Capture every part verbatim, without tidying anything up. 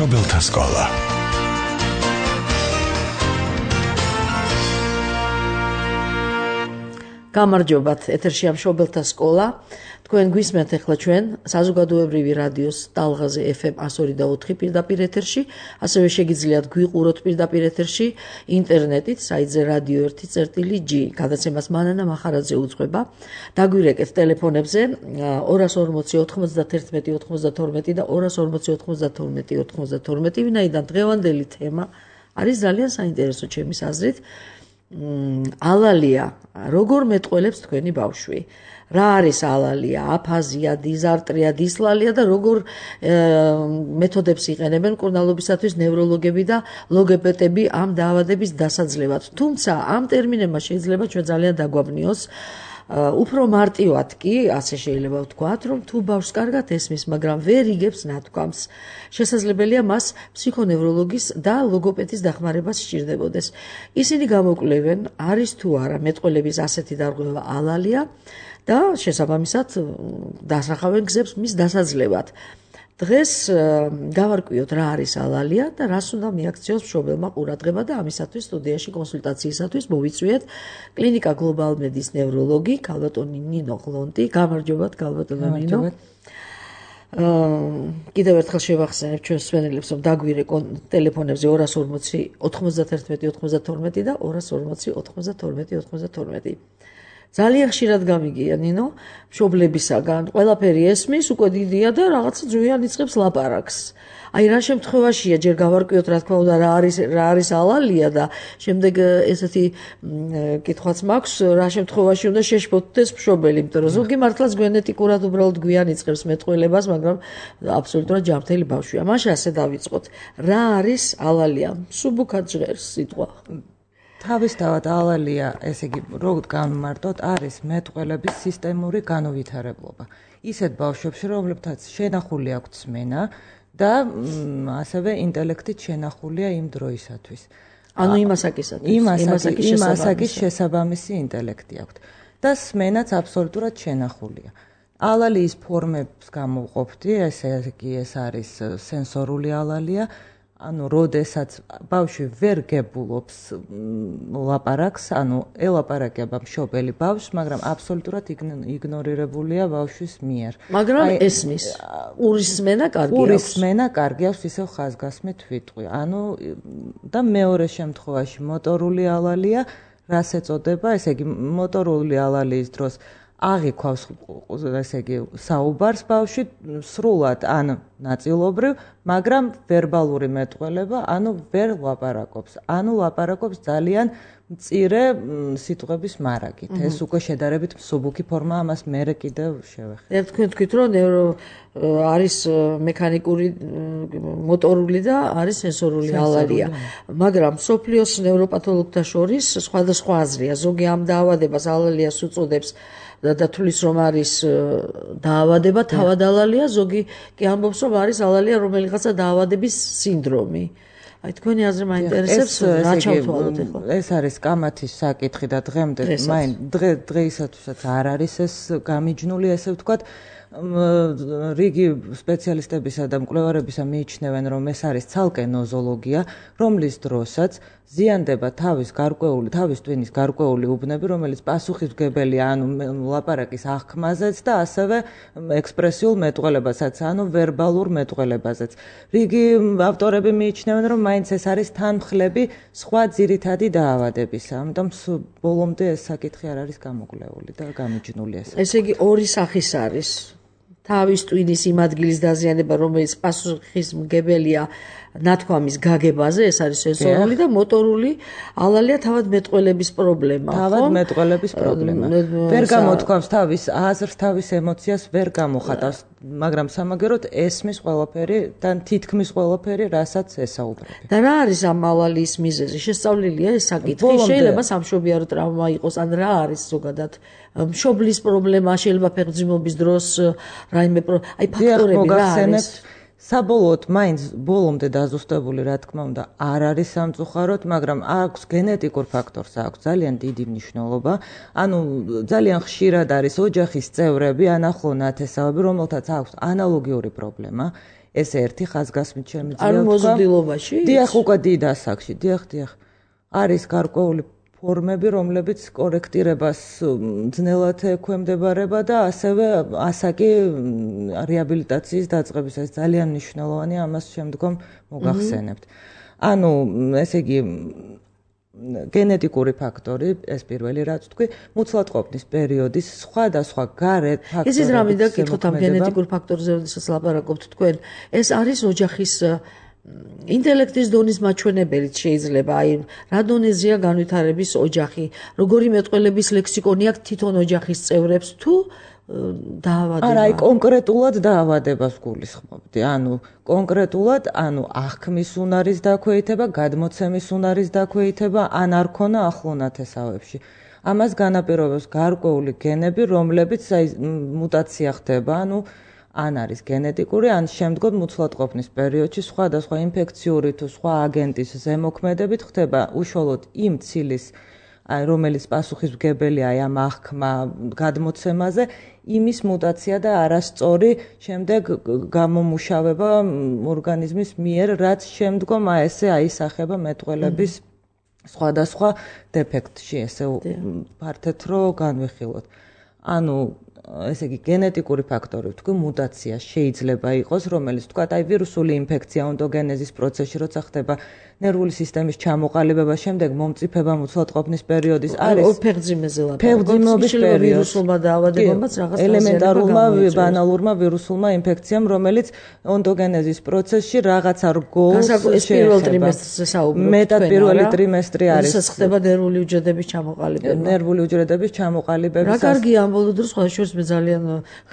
მშობელთა სკოლა. გამარჯობათ, ეთერშია მშობელთა სკოლა. თქვენ გვისმენთ ახლა ჩვენ საზოგადოებრივი რადიოს ტალღაზე ეფ ემ εκατო ორი და ოთხი პირდაპირ ეთერში, ასევე შეგიძლიათ გვიყუროთ პირდაპირ ეთერში ინტერნეტით საიტზე რადიო ერთი წერტილი ჯი. გადაცემას მანანა მახარაძე უძღვება. დაგვირეკეთ ტელეფონებზე ორას ორმოცი ოთხმოცდათერთმეტი ოთხმოცდათორმეტი და ორას ორმოცი ოთხმოცდათორმეტი ოთხმოცდათორმეტი, ვინაიდან დღევანდელი თემა არის ძალიან საინტერესო ჩემის აზრით. ალალია როგორ მეტყველებს თქვენი ბავშვი? რა არის ალალია? აფაზია, დიზარტრია, დისლალია და როგორ მეთოდებს იყენებენ მკურნალობისათვის ნევროლოგები და ლოგოპედები ამ დაავადების დასაძლევად. თუმცა ამ ტერმინებმა შეიძლება ჩვენ ძალიან დაგვაბნიოს. უფრო მარტივად კი ასე შეიძლება ვთქვათ, რომ თუ ბავშვს კარგად ესმის, მაგრამ ვერ იგებს ნათქვამს, შესაძლებელია მას ფსიქონევროლოგის და ლოგოპედის დახმარება სჭირდებოდეს. ისინი გამოკვლევენ, არის თუ არა მეტყველების ასეთი დარღვევა ალალია და შესაბამისად დასახავენ გზებს მის დასაძლევად. დღეს გავარკვიოთ რა არის ალალია და რას უნდა მიაქციოს მშობელმა ყურადღება და ამისათვის სტუდიაში კონსულტაციისათვის მოვიწვიეთ კლინიკა გლობალ მედის ნევროლოგი ქალბატონი ნინო ღლონტი. გამარჯობათ ქალბატონო ნინო. კიდევ ერთხელ შევახსენებ ჩვენს მსმენელებს, რომ დაგვირეკონ ტელეფონებზე ორას ორმოცი ოთხმოცდათერთმეტი ოთხმოცდათორმეტი და ორას ორმოცი ოთხმოცდათორმეტი ოთხმოცდათორმეტი. ძალიან ხშირად გამიგია ნინო მშობლებისაგან, ყველაფერი ესმის, უკვე დიდია და რაღაცა ძვიან იწყებს ლაპარაკს. აი რა შემთხვევაშია ჯერ გავარკვიოთ რა თქმა უნდა რა არის რა არის ალალია და შემდეგ ესეთი კითხვაც მაქვს, რა შემთხვევაში უნდა შეშფოთდეს მშობელი, იმიტომ რომ ზოგი მართლაც გენეტიკურად უბრალოდ გვიან იწყებს მეტყველებას, მაგრამ აბსოლუტურად ჯანმრთელი ბავშვია. მაშინ ასე დავიწყოთ. რა არის ალალია? მსუბუქად ჟღერს სიტყვა. თავისთავად ალალია, ესე იგი, როგორ განმარტოთ, არის მეტყველების სისტემური განუვითარებლობა. ისეთ ბავშვებში, რომლებთაც შენახული აქვთ სმენა და ასევე ინტელექტით შენახულია იმ დროისათვის. ანუ იმ ასაკისათვის, იმ ასაკის შესაბამისი ინტელექტი აქვთ და სმენაც აბსოლუტურად შენახულია. ალალიის ფორმებს გამოვყოფდი, ესე იგი, ეს არის სენსორული ალალია. ანუ როდესაც ბავშვი ვერ გებულობს ლაპარაკს, ანუ ელაპარაკება მშობელი ბავშვს, მაგრამ აბსოლუტურად იგნორირებულია ბავშვის მიერ. მაგრამ ესმის. ურის სმენა კარგი აქვს. ურის სმენა კარგი აქვს, ისევ ხაზგასმით ვიტყვი. ანუ და მეორე შემთხვევაში მოტორული ალალია, რას ეწოდება, ესე იგი, მოტორული ალალიის დროს აღიქვავს, ესე იგი, საუბარს ბავშვი სრულად ან ნაწილობრივ, მაგრამ ვერბალური მეტყველება, ანუ ვერ ლაპარაკობს. ანუ ლაპარაკობს ძალიან მწირე სიტყვების მარაგით. ეს უკვე შედარებით მსუბუქი ფორმა, ამას მერე კიდევ შევეხებ. ერთ თქვენ თქვით, რომ ნევრო არის მექანიკური, მოტორული და არის სენსორული ალალია. მაგრამ მსოფლიოს ნევროპათოლოგთა შორის სხვადასხვა აზრია. ზოგი ამ დაავადებას ალალიას უწოდებს და თulis რომ არის დაავადება თავად ალალია, ზოგი კი ამბობს რომ არის ალალია რომელიღაცა დაავადების სინდრომი. აი თქვენი აზრი მაინტერესებს, რა ჩავთვალოთ ახლა? ეს არის კამათის საკითხი და დღემდე მაინ დღე დღეისათვისაც არ არის ეს გამიჯნული, ესე ვთქვათ. რიგი სპეციალისტებისა და მკვლევარებისა მიიჩნევენ, რომ ეს არის ცალკე ნოზოლოგია, რომლის დროსაც ზიანდება თავის გარკვეული, თავის ტვინის გარკვეული უბნები, რომელიც პასუხისმგებელია ანუ ლაპარაკის აღქმაზეც და ასევე ექსპრესიულ მეტყველებასაც, ანუ ვერბალურ მეტყველებაზეც. რიგი ავტორები მიიჩნევენ, რომ მაინც ეს არის თანმხლები სხვა ძირითადი დაავადებისა. ამიტომ ბოლომდე ეს საკითხი არ არის გამოკვლეული და გამიჯნული ეს. ესე იგი ორი სახის არის. თავის ტვინის იმ ადგილის დაზიანება, რომელიც პასუხისმგებელია ნათქვამის გაგებაზე, ეს არის სენსორული და მოტორული ალალია თავად მეტყველების პრობლემა. თავად მეტყველების პრობლემა. ვერ გამოთქვამს თავის აზრს, თავის ემოციას ვერ გამოხატავს, მაგრამ სამაგეროდ ესმის ყველაფერი და თითქმის ყველაფერი, რასაც ესაუბრები. და რა არის ამ ალალიის მიზეზი? შესწავლილია ეს საკითხი. შეიძლება სამშობიარო ტრავმა იყოს, ან რა არის ზოგადად მშობლის პრობლემა, შეიძლება ფეხმძიმობის დროს რაიმე აი ფაქტორები რა არის? საბოლოოდ მაინც ბოლომდე დაზუსტებული, რა თქმა უნდა, არ არის სამწუხაროდ, მაგრამ აქვს გენეტიკურ ფაქტორს, აქვს ძალიან დიდი მნიშვნელობა. ანუ ძალიან ხშირად არის ოჯახის წევრები, ან ახლო ნათესავები, რომელთაც აქვს ანალოგიური პრობლემა. ეს ერთი ხაზგასმით შემიძლია ვთქვა. არ მოზრდილობაში? დიახ, უკვე დიდ ასაკში, დიახ, დიახ. არის გარკვეული ფორმები, რომლებიც კორექტირებას ძნელად ექვემდებარება და ასევე ასაკი რეაბილიტაციის დაწყების ეს ძალიან მნიშვნელოვანია, ამას შემდგომ მოგახსენებთ. ანუ ესე იგი გენეტიკური ფაქტორი, ეს პირველი რაც თქვი, მუცლადყოფნის პერიოდის სხვადასხვა გარე ფაქტორები. ისიც რა მინდა გითხოთ ამ გენეტიკურ ფაქტორზე, როდესაც ლაპარაკობთ თქვენ, ეს არის ოჯახის ინტელექტის დონის მაჩვენებელიც შეიძლება, აი, რა დონეზეა განვითარების ოჯახი, როგორი მეტყველების ლექსიკონი აქვს თვითონ ოჯახის წევრებს თუ დაავადება. არა, აი კონკრეტულად დაავადებას გულისხმობდი. ანუ კონკრეტულად, ანუ აღქმის უნარის დაქვეითება, გადმოცემის უნარის დაქვეითება, ან არ ქონა ახლონათესავებში. ამას განაპირობებს გარკვეული გენები, რომლებიც აი მუტაცია ხდება, ანუ ან არის გენეტიკური, ან შემდგომ მუცლადყოფნის პერიოდში სხვადასხვა ინფექციური თუ სხვა აგენტის ზემოქმედებით ხდება უშუალოდ იმ ცილის, აი რომელიც პასუხისმგებელია აი ამ აღქმა გადმოცემაზე, იმის მუტაცია და არასწორი შემდეგ გამომუშავება ორგანიზმის მიერ, რაც შემდგომ აი ესე აისახება მეტყველების სხვადასხვა დეფექტში, ესე ფართეთ რო განვიხილოთ. ანუ ესე იგი გენეტიკური ფაქტორი თქვი მუტაცია შეიძლება იყოს, რომელიც თქვა აი ვირუსული ინფექცია ონტოგენეზის პროცესში როცა ხდება ნერვული სისტემის ჩამოყალიბება, შემდეგ მომწიფება მუცლადყოფნის პერიოდის არის ფეხმძიმეზე ლაპარაკობთ. ფეხმძიმობის პერიოდი ვირუსულმა დაავადებებმაც რაღაც ელემენტარულმა ბანალურმა ვირუსულმა ინფექციამ, რომელიც ონტოგენეზის პროცესში რაღაცა რგოლს ეს პირველ ტრიმესტრზე საუბრობთ. მეტად პირველი ტრიმესტრი არის. ეს ხდება ნერვული უჯრედების ჩამოყალიბება. ნერვული უჯრედების ჩამოყალიბების. რა კარგია ამ ბოლო დროს სხვა შორის მე ძალიან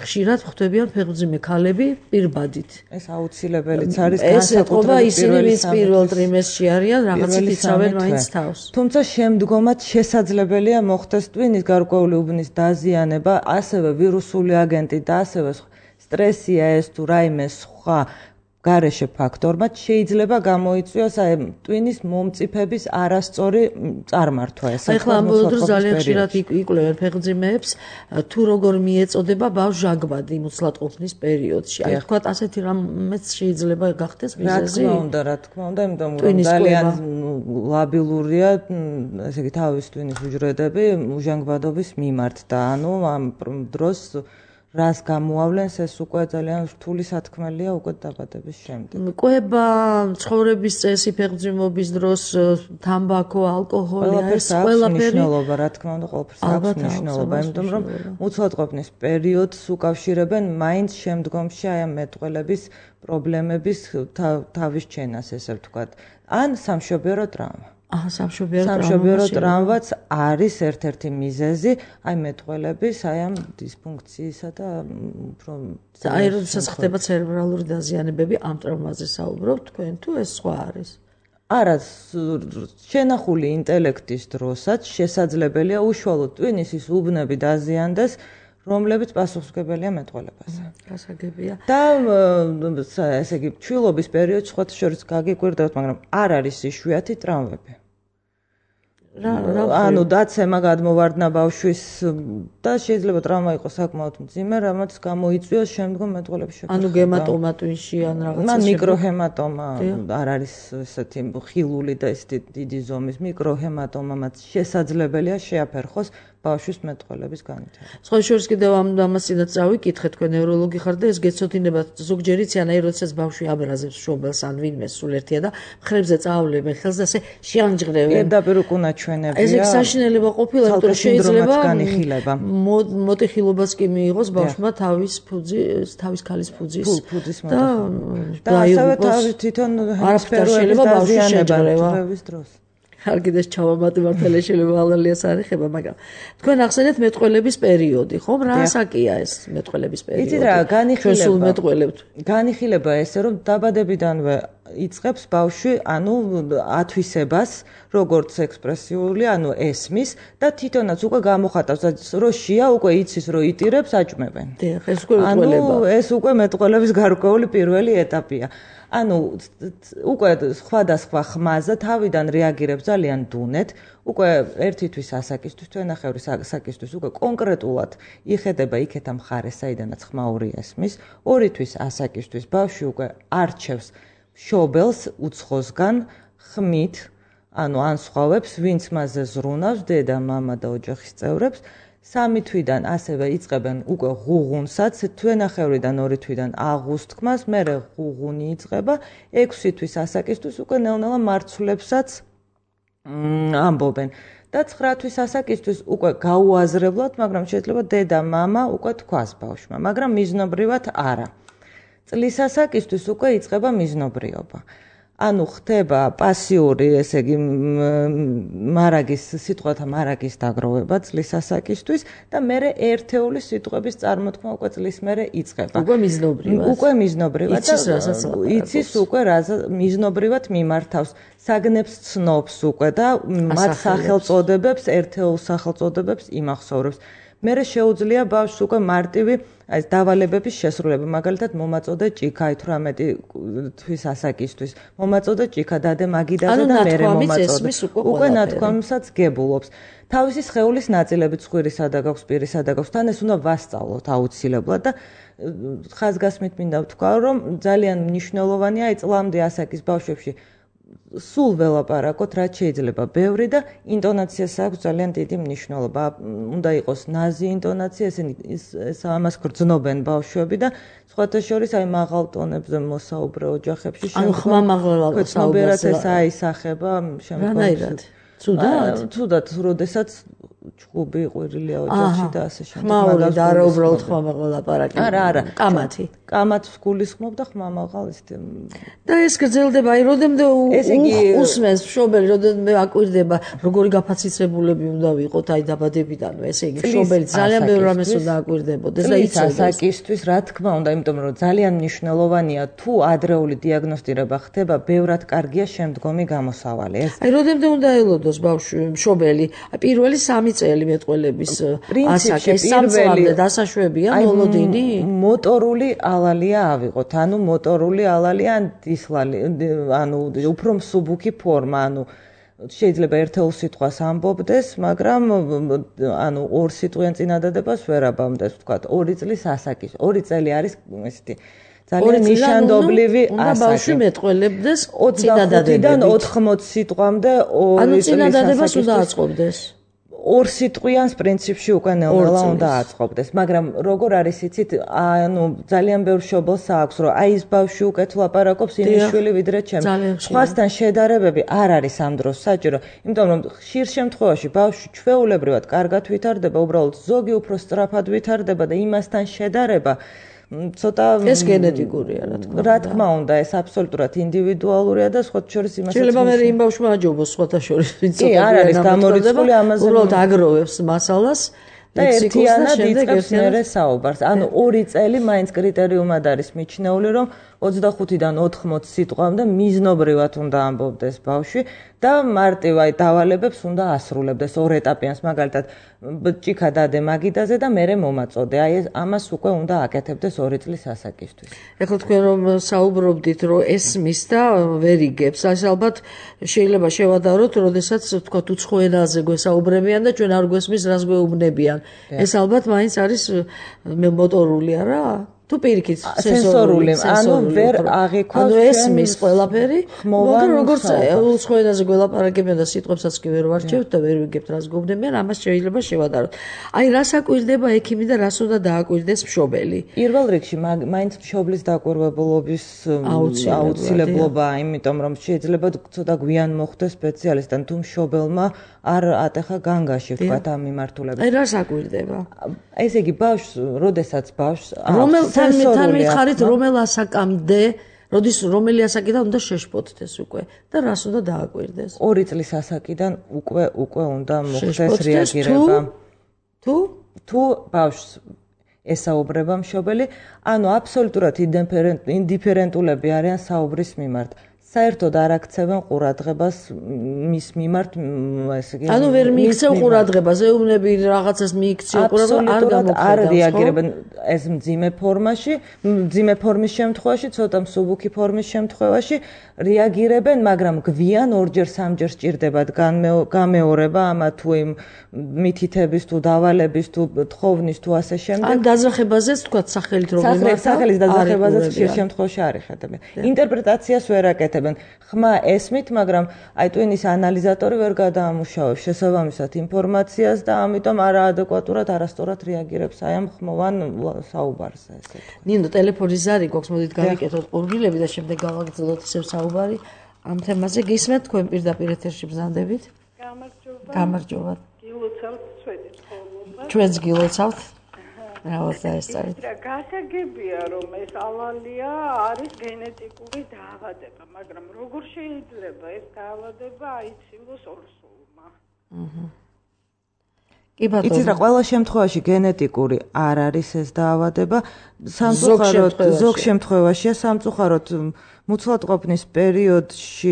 ხშირად ხვდებიან ფეხმძიმე ქალები პირბადით. ეს აუცილებელიც არის განსაკუთრებით. ეს ეთყობა ისინი, ვინც პირველ ტრიმესტრში არიან, რაღაცით იცავენ მაინც თავს. თუმცა შემდგომაც შესაძლებელია მოხდეს ტვინის გარკვეული უბნის დაზიანება, ასევე ვირუსული აგენტი და ასევე სტრესია ეს თუ რაიმე სხვა გარეშე ფაქტორმა შეიძლება გამოიწვიოს აი ტვინის მომწიფების არასწორი წარმართვა. ეს ახლა ამ ბოლო დროს ძალიან ხშირად იკვლევენ ფეხმძიმეებს, თუ როგორ მიეწოდება ბავშვ ჟანგბადი მუცლადყოფნის პერიოდში. აი თქვა ასეთი რამეც შეიძლება გახდეს მიზეზი. რა თქმა უნდა, რა თქმა უნდა, იმიტომ რომ ძალიან ლაბილურია, ესე იგი თავის ტვინის უჯრედები ჟანგბადობის მიმართ და ანუ ამ დროს რას გამოავლენს ეს უკვე ძალიან რთული სათქმელია უკვე დაბადების შემდეგ. კვება, ცხოვრების წესი, ფეხმძიმობის დროს, თამბაქო, ალკოჰოლი, ეს ყველაფერი მნიშვნელობა, რა თქმა უნდა, ყველაფერს აქვს მნიშვნელობა, იმიტომ რომ მუცლადყოფნის პერიოდს უკავშირებენ მაინც შემდგომში აი ამ მეტყველების პრობლემების თავის ჩენას, ესე ვთქვათ, ან სამშობიარო ტრავმა. აჰა, სამშობიარო სამშობიარო ტრავმაც არის ერთ-ერთი მიზეზი აი მეტყველების აი ამ დისფუნქციისა და უფრო აი როდესაც ხდება ცერებრალური დაზიანებები, ამ ტრავმაზე საუბრობთ თქვენ თუ ეს სხვა არის? არა, შენახული ინტელექტის დროსაც შესაძლებელია უშუალოდ ტვინის ის უბნები დაზიანდეს, რომლებიც პასუხისმგებელია მეტყველებაზე. გასაგებია. და ესე იგი ჩვილობის პერიოდში სხვა შორის გაგიკვირდებთ, მაგრამ არ არის იშვიათი ტრავმები. რა რა ანუ დაცემა გადმოვარდნა ბავშვის და შეიძლება ტრავმა იყოს საკმაოდ მძიმე, რამაც გამოიწვიოს შემდგომ მეტყველების შეკითხება. ანუ გემატომა ტვინში ან რაღაცა ან მიკროჰემატომა არ არის ესეთი ხილული და ეს დიდი ზომის მიკროჰემატომაც შესაძლებელია შეაფერხოს ბავშვის მეტყველების განვითარება. სხვა შორის კიდევ ამ ამასინაც წავიკითხე, თქვენ ნევროლოგი ხართ და ეს გეცოდინება ზოგჯერ იციან, როდესაც ბავშვი აბრაზებს შობელს ან ვინმეს სულ ერთია და მხრებზე წაავლებენ ხელს და ასე შეანჯღრევენ. პირდაპირ უკუნა ჩვენებია. ეს საშინელება ყოფილა, იმიტომ რომ შეიძლება განიხილება. მოტეხილობას კი მიიღოს ბავშვმა თავის ფუძის, თავის ქალის ფუძის და და ასევე თავის თვითონ არაფერ შეიძლება ბავშვი შეჯღრევა. დროს. არგიდეს ჩავამატი მართალია შეიძლება ალალიას არ ეხება, მაგრამ თქვენ ახსენეთ მეტყველების პერიოდი, ხომ? რა ასაკია ეს მეტყველების პერიოდი? იცით რა, განიხილება. ჩვენ სულ მეტყველებთ. განიხილება ესე რომ დაბადებიდანვე იწყებს ბავშვი, ანუ ათვისებას, როგორც ექსპრესიული, ანუ ესმის და თვითონაც უკვე გამოხატავს, რომ შია უკვე იცის, რომ იტირებს, აჭმევენ. დიახ, ეს უკვე მეტყველება. ანუ ეს უკვე მეტყველების გარკვეული პირველი ეტაპია. ანუ უკვე სხვადასხვა ხმაზე თავიდან რეაგირებს ძალიან დუნეთ, უკვე ერთითვის ასაკისთვის, თვენახევრის ასაკისთვის უკვე კონკრეტულად იხედება იქეთა მხარეს, საიდანაც ხმაური ესმის, ორითვის ასაკისთვის ბავშვი უკვე არჩევს მშობელს უცხოსგან ხმით, ანუ ანსხვავებს, ვინც მასზე ზრუნავს, დედა, მამა და ოჯახის წევრებს. სამი თვიდან ასევე იწყებენ უკვე ღუღუნსაც, თვენახევრიდან ორი თვიდან აღუსთქმას, მერე ღუღუნი იწყება, ექვსი თვის ასაკისთვის უკვე ნელ-ნელა მარცვლებსაც ამბობენ. და ცხრა თვის ასაკისთვის უკვე გაუაზრებლად, მაგრამ შეიძლება დედა, მამა უკვე თქვას ბავშვმა, მაგრამ მიზნობრივად არა. წლის ასაკისთვის უკვე იწყება მიზნობრიობა. ანუ ხდება პასიური, ესე იგი მარაგის, სიტყვათა მარაგის დაგროვება წლის ასაკისთვის და მერე ერთეული სიტყვების წარმოთქმა უკვე წლის მერე იწყება. უკვე მიზნობრივად. უკვე მიზნობრივად და იცის უკვე მიზნობრივად მიმართავს. საგნებს ცნობს უკვე და მათ სახელწოდებებს, ერთეულ სახელწოდებებს იმახსოვრებს. მერე შეუძლია ბავშვს უკვე მარტივი აი დავალებების შესრულება, მაგალითად მომაწოდე ჭიქა ათვრამეტი თვის ასაკისთვის. მომაწოდე ჭიქა დადე მაგიდაზე და მერე მომაწოდე. უკვე ნათქვამსაც გებულობს. თავისი სხეულის ნაწილები ცხვირისა და გაქვს, პირისა და გაქვს, თან ეს უნდა ვასწავლოთ აუცილებლად და ხაზგასმით მინდა ვთქვა, რომ ძალიან მნიშვნელოვანია აი წლამდე ასაკის ბავშვებში სულ ველაპარაკოთ, რაც შეიძლება ბევრი და ინტონაციას აქვს ძალიან დიდი მნიშვნელობა. უნდა იყოს ნაზი ინტონაცია, ესენი ეს ამას გრძნობენ ბავშვები და სხვათა შორის აი მაღალ ტონებზე მოსაუბრე ოჯახებში ანუ ხმა მაღლა საუბრად ეს აისახება შემდგომში. ცუდად? ცუდად, როდესაც ჩხუბი ყვირილია ოჯახში და ასე შემდეგ. ხმაური და არა უბრალოდ ხმა მაღლა ლაპარაკი. არა, არა, კამათი. კამათს გულისხმობ და ხმა მაღალ ეს და ეს გრძელდება, აი როდემდე უსმენს მშობელი, როდემდე აკვირდება, როგორი გაფაციცებულები უნდა ვიყოთ აი დაბადებიდანვე, ესე იგი მშობელი ძალიან ბევრ რამეს უნდა აკვირდებოდეს და იცოდეს. ასაკისთვის რა თქმა უნდა, იმიტომ რომ ძალიან მნიშვნელოვანია თუ ადრეული დიაგნოსტირება ხდება, ბევრად კარგია შემდგომი გამოსავალი. ეს აი როდემდე უნდა ელოდოს ბავშვი მშობელი, აი პირველი სამი წელი მეტყველების ასაკი, სამ წლამდე დასაშვებია მოლოდინი? მოტორული ალალია ავიღოთ, ანუ მოტორული ალალია ან დისლალი, ანუ უფრო მსუბუქი ფორმა, ანუ შეიძლება ერთეულ სიტყვას ამბობდეს, მაგრამ ანუ ორ სიტყვიან წინადადებას ვერ აბამდეს, ვთქვათ, ორი წლის ასაკის. ორი წელი არის ესეთი ძალიან ნიშანდობლივი ასაკი. უნდა ბავშვი მეტყველებდეს ოცდახუთიდან ოთხმოცი სიტყვამდე ორი წლის წინადადებას უნდა აწყობდეს. ორ სიტყვიანს პრინციპში უკვე ნელ-ნელა უნდა აწყობდეს, მაგრამ როგორ არის იცით, ანუ ძალიან ბევრ მშობელს აქვს, რომ აი ეს ბავშვი უკეთ ლაპარაკობს ინიშვილი ვიდრე ჩემი. სხვასთან შედარებები არ არის ამ დროს საჭირო, იმიტომ რომ ხშირ შემთხვევაში ბავშვი ჩვეულებრივად კარგად ვითარდება, უბრალოდ ზოგი უფრო სწრაფად ვითარდება და იმასთან შედარება ცოტა ეს გენეტიკურია რა თქმა უნდა. რა თქმა უნდა, ეს აბსოლუტურად ინდივიდუალურია და სხვათა შორის იმასაც შეიძლება მე იმ ბავშვმა აჯობოს სხვათა შორის, ვინც ცოტა კი არ არის გამორიცხული ამაზე. უბრალოდ აგროვებს მასალას და ერთიანად იწყებს მერე საუბარს. ანუ ორი წელი მაინც კრიტერიუმად არის მიჩნეული, რომ ოცდახუთიდან ოთხმოცი სიტყვამდე მიზნობრივად უნდა ამბობდეს ბავშვი და მარტივ აი დავალებებს უნდა ასრულებდეს ორ ეტაპიანს, მაგალითად ჭიქა დადე მაგიდაზე და მერე მომაწოდე. აი ეს ამას უკვე უნდა აკეთებდეს ორი წლის ასაკისთვის. ეხლა თქვენ რომ საუბრობდით, რომ ესმის და ვერ იგებს, ეს ალბათ შეიძლება შევადაროთ, როდესაც თქვათ უცხო ენაზე გვესაუბრებიან და ჩვენ არ გვესმის, რას გვეუბნებიან. ეს ალბათ მაინც არის მოტორული არა? თუ პირიქით სენსორული, ანუ ვერ აღიქვას ანუ ესმის ყველაფერი, მაგრამ როგორც უცხო ენაზე გველაპარაკებიან და სიტყვებსაც კი ვერ ვარჩევთ და ვერ ვიგებთ რას გეუბნებიან, ამას შეიძლება შევადაროთ. აი რას აკვირდება ექიმი და რას უნდა დააკვირდეს მშობელი? პირველ რიგში მაინც მშობლის დაკვირვებულობის აუცილებლობაა, იმიტომ რომ შეიძლება ცოტა გვიან მოხვდეს სპეციალისტთან, თუ მშობელმა არ ატეხა განგაში, ვთქვათ, ამ მიმართულებით. აი რას აკვირდება? ესე იგი ბავშვს, როდესაც ბავშვს რომელ თან მითხარით რომელ ასაკამდე, როდის რომელი ასაკიდან უნდა შეშფოთდეს უკვე და რას უნდა დააკვირდეს? ორი წლის ასაკიდან უკვე უკვე უნდა მოხდეს რეაგირება. თუ თუ ბავშვს ესაუბრება მშობელი, ანუ აბსოლუტურად ინდიფერენტულები არიან საუბრის მიმართ. საერთოდ არ აქცევენ ყურადღებას მის მიმართ, ესე იგი. ანუ ვერ მიიქცევ ყურადღებას, ეუბნები რაღაცას მიიქცევ ყურადღებას, არ გამოხედავს. არ რეაგირებენ ეს მძიმე ფორმაში, მძიმე ფორმის შემთხვევაში, ცოტა მსუბუქი ფორმის შემთხვევაში რეაგირებენ, მაგრამ გვიან ორჯერ სამჯერ სჭირდებათ გამეორება ამა თუ იმ მითითების თუ დავალების თუ თხოვნის თუ ასე შემდეგ. ან დაძახებაზეც თქვათ სახელით რომ იმართა. სახელის დაძახებაზეც ხშირ შემთხვევაში არ იხატებენ. ინტერპრეტაციას ვერ აკეთებენ. ხმა ესმით, მაგრამ აი ტვინის ანალიზატორი ვერ გადაამუშავებს შესაბამისად ინფორმაციას და ამიტომ არაადეკვატურად არასწორად რეაგირებს აი ამ ხმოვან საუბარზე, ესე ვთქვათ. ნინო, ტელეფონის ზარი გვაქვს, მოდით გავიკეთოთ ყურგილები და შემდეგ გავაგრძელოთ ისევ საუბარი ამ თემაზე. გისმენთ თქვენ პირდაპირ ეთერში ბრძანდებით? გამარჯობა. გამარჯობა. გილოცავთ ჩვენი ცხოვრება. ჩვენც გილოცავთ. რაოცა ეს არის. გასაგებია რომ ეს ალალია არის გენეტიკური დაავადება, მაგრამ როგორ შეიძლება ეს დაავადება აიცილოს ორსულმა? აჰა. კი ბატონო. იცით რა, ყველა შემთხვევაში გენეტიკური არ არის ეს დაავადება, სამწუხაროდ ზოგ შემთხვევაშია, სამწუხაროდ მუცლადყოფნის პერიოდში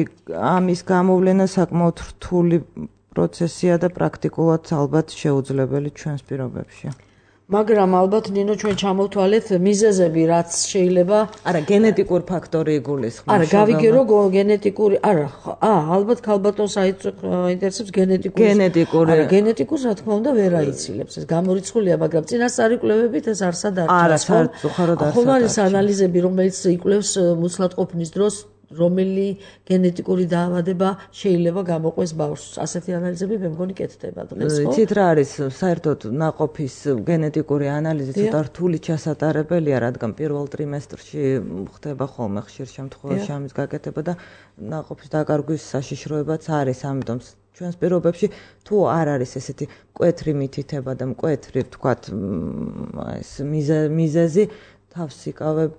ამის გამოვლენა საკმაოდ რთული პროცესია და პრაქტიკულად ალბათ შეუძლებელი ჩვენს პირობებში. მაგრამ ალბათ ნინო ჩვენ ჩამოვთვალეთ მიზეზები, რაც შეიძლება არა გენეტიკურ ფაქტორი იგულისხმება. არა, გავიგე რომ გენეტიკური, არა, აა, ალბათ ქალბატონს აინტერესებს გენეტიკური. გენეტიკური. არა, გენეტიკურს რა თქმა უნდა ვერ აიცილებს. ეს გამორიცხულია, მაგრამ წინასწარი კვლევებით ეს არსად არ არა, საერთოდ არ ხომ არის ანალიზები, რომელიც იკვლევს მუცლადყოფნის დროს რომელი გენეტიკური დაავადება შეიძლება გამოყვეს ბავშვს. ასეთი ანალიზები მე მგონი კეთდება დღეს, ხო? იცით რა არის, საერთოდ ნაყოფის გენეტიკური ანალიზი ცოტა რთული ჩასატარებელია, რადგან პირველ ტრიმესტრში ხდება ხოლმე ხშირ შემთხვევაში ამის გაკეთება და ნაყოფის დაკარგვის საშიშროებაც არის, ამიტომ ჩვენს პირობებში თუ არ არის ესეთი მკვეთრი მითითება და მკვეთრი, ვთქვათ, ეს მიზეზი თავს იკავებ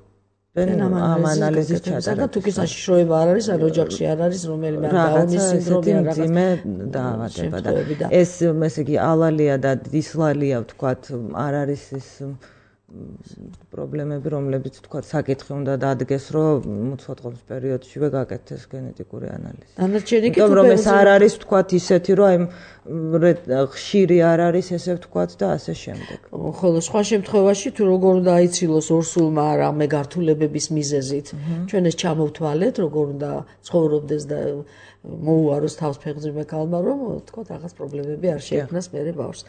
ამ ანალიზის ჩატარება. თუ კი საშიშროება არ არის, ან ოჯახში არ არის რომელიმე დაუნის სინდრომი ან მძიმე დაავადება და ეს ესე იგი ალალია და დისლალია ვთქვათ არ არის ეს პრობლემები, რომლებიც ვთქვათ საკითხი უნდა დადგეს, რომ მუცლადყოფნის პერიოდშივე გაკეთდეს გენეტიკური ანალიზი. დანარჩენი კი თუ რომ ეს არ არის ვთქვათ ისეთი, რომ აი ხშირი არ არის ესე ვთქვათ და ასე შემდეგ. ხოლო სხვა შემთხვევაში თუ როგორ უნდა აიცილოს ორსულმა რამე გართულებების მიზეზით, ჩვენ ეს ჩამოვთვალეთ, როგორ უნდა ცხოვრობდეს და მოუაროს თავს ფეხმძიმე ქალმა, რომ ვთქვათ რაღაც პრობლემები არ შეექმნას მერე ბავშვს.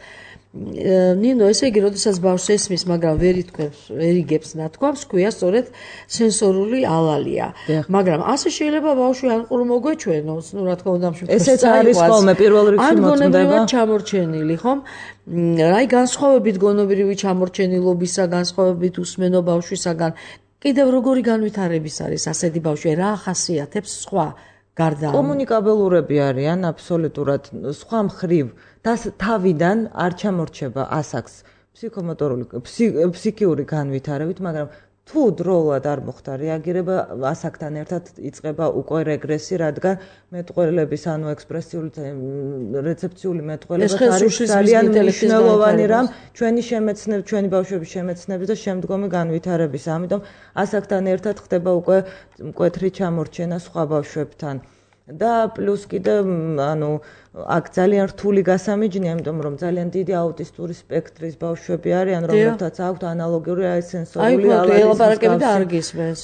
ნინო, ესე იგი, როდესაც ბავშვს ესმის, მაგრამ ვერ ითქვებს, ვერ იგებს ნათქვამს, ქვია სწორედ სენსორული ალალია. მაგრამ ასე შეიძლება ბავშვი ან ყრუ მოგვეჩვენოს, ну, რა თქმა უნდა, მშვიდობა. ესეც არის ხოლმე პირველ რიგში მოწმდება. ან გონებრივად მოწმდება. ჩამორჩენილი, ხომ? აი განსხვავებით გონებრივი ჩამორჩენილობისა, განსხვავებით უსმენო ბავშვისაგან, კიდევ როგორი განვითარების არის ასეთი ბავშვი, რა ახასიათებს სხვა გარდა კომუნიკაბელურები არიან აბსოლუტურად სხვა მხრივ და თავიდან არ ჩამორჩება ასაკს ფსიქომოტორული ფსიქიური განვითარებით, მაგრამ თუ დროულად არ მოხდა რეაგირება, ასაკთან ერთად იწყება უკვე რეგრესი, რადგან მეტყველების ანუ ექსპრესიული რეცეპციული მეტყველება არის ძალიან მნიშვნელოვანი რამ ჩვენი შემეცნების, ჩვენი ბავშვების შემეცნების და შემდგომი განვითარების. ამიტომ ასაკთან ერთად ხდება უკვე მკვეთრი ჩამორჩენა სხვა ბავშვებთან. და პლუს კიდე ანუ აქ ძალიან რთული გასამიჯნია, იმიტომ რომ ძალიან დიდი აუტისტური სპექტრის ბავშვები არიან, რომლებთაც აქვთ ანალოგიური აი სენსორული ალალიზმის.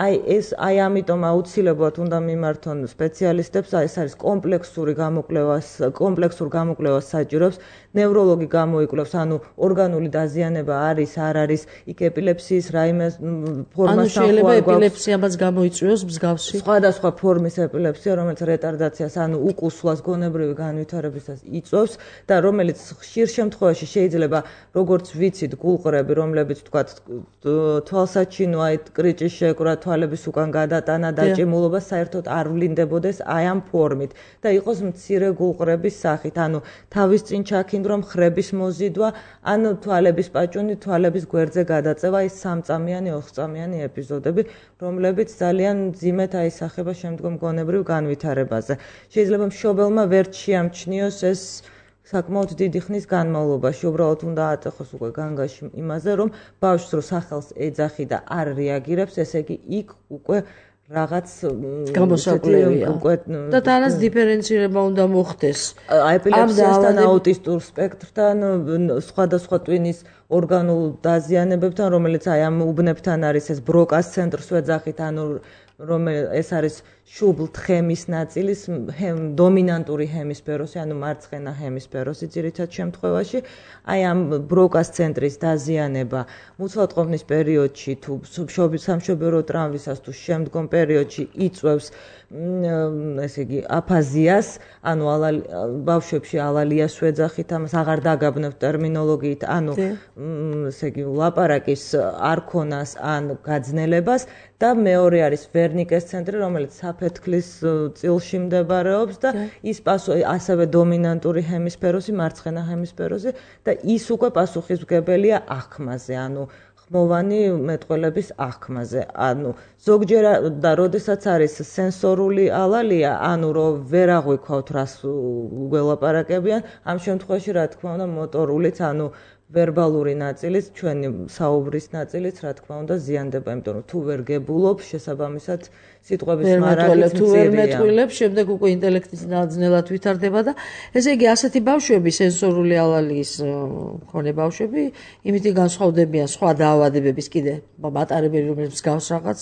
აი ეს აი ამიტომ აუცილებლად უნდა მიმართონ სპეციალისტებს, აი ეს არის კომპლექსური გამოკვლევას, კომპლექსურ გამოკვლევას საჭიროებს, ნევროლოგი გამოიკვლევს, ანუ ორგანული დაზიანება არის, არ არის, იქ ეპილეფსიის რაიმე ფორმასთან ანუ შეიძლება ეპილეფსიამაც გამოიწვიოს მსგავსი. სხვადასხვა ფორმის ეპილეფსია, რომელიც რეტარდაციას, ანუ უკუსლას გონებრივი განვითარებისას იწვევს და რომელიც ხშირ შემთხვევაში შეიძლება როგორც ვიცით გულყრები, რომლებიც თქვათ თვალსაჩინო, აი კრიჭის შეკვრა, თვალების უკან გადატანა, დაჭიმულობა საერთოდ არ ვლინდებოდეს აი ამ ფორმით და იყოს მცირე გულყრების სახით, ანუ თავის წინ ჩაქინდვა, მხრების მოზიდვა, ან თვალების პაჭუნი, თვალების გვერდზე გადაწევა, ის სამწამიანი, ოთხწამიანი ეპიზოდები, რომლებიც ძალიან მძიმედ აისახება შემდგომ გონებრივ განვითარებაზე. შეიძლება მშობელმა ვერ შეამჩნიოს ეს საკმაოდ დიდი ხნის განმავლობაში, უბრალოდ უნდა აწეხოს უკვე განგაში იმაზე, რომ ბავშვს რო სახელს ეძახი და არ რეაგირებს, ესე იგი იქ უკვე რაღაც გამოსაკლევია და თანაც დიფერენცირება უნდა მოხდეს ეპილეფსიასთან, აუტისტურ სპექტრთან, სხვადასხვა ტვინის ორგანულ დაზიანებებთან, რომელიც აი ამ უბნებთან არის ეს ბროკას ცენტრს ვეძახით, ანუ რომელიც ეს არის შუბლ-თხემის ნაწილის დომინანტური ჰემისფეროსი, ანუ მარცხენა ჰემისფეროსი ძირითად შემთხვევაში, აი ამ ბროკას ცენტრის დაზიანება მუცლადყოფნის პერიოდში თუ სამშობიარო ტრავმისას თუ შემდგომ პერიოდში იწვევს ესე იგი აფაზიას, ანუ ბავშვებში ალალიას ვეძახით, ამას აღარ დაგაბნევთ ტერმინოლოგიით, ანუ ესე იგი ლაპარაკის არქონას ან გაძნელებას და მეორე არის ვერნიკეს ცენტრი, რომელიც საფეთქლის წილში მდებარეობს და ის ასევე დომინანტური ჰემისფეროსი, მარცხენა ჰემისფეროსი და ის უკვე პასუხისმგებელია აღქმაზე, ანუ ხმოვანი მეტყველების აღქმაზე. ანუ ზოგჯერ და როდესაც არის სენსორული ალალია, ანუ რომ ვერ აღვიქვავთ რას ველაპარაკებიან, ამ შემთხვევაში რა თქმა უნდა მოტორულიც, ანუ ვერბალური ნაწილიც, ჩვენი საუბრის ნაწილიც, რა თქმა უნდა, ზიანდება, იმიტომ რომ თუ ვერ გებულობ, შესაბამისად სიტყვების მარაგიც თუ ვერ მეტყვილებს, შემდეგ უკვე ინტელექტის ნაძნელად ვითარდება და ესე იგი ასეთი ბავშვები, სენსორული ალალიის მქონე ბავშვები, იმითი განსხვავდებიან სხვა დაავადებების კიდე მატარებელი, რომელიც გავს რაღაც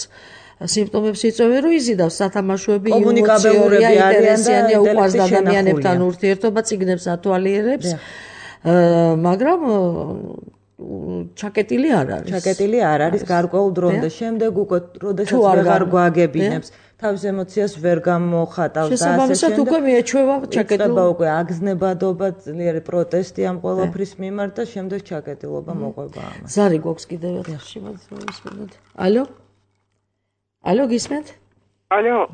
სიმპტომებს იწვევენ, რომ იზიდავს სათამაშოები, კომუნიკაბელურები არიან და უყვარს ადამიანებთან ურთიერთობა, წიგნებს ათვალიერებს. მაგრამ ჩაკეტილი არ არის. ჩაკეტილი არ არის გარკვეულ დრომდე. შემდეგ უკვე როდესაც ვეღარ გვაგებინებს, თავის ემოციას ვერ გამოხატავს და ასე შემდეგ. შესაბამისად უკვე მიეჩვევა ჩაკეტილობა. იწყება უკვე აგზნებადობა, ძლიერი პროტესტი ამ ყველაფრის მიმართ და შემდეგ ჩაკეტილობა მოყვება ამას. ზარი გვაქვს კიდევ ერთხში, მოისმენთ. ალო? ალო, გისმენთ? ალო,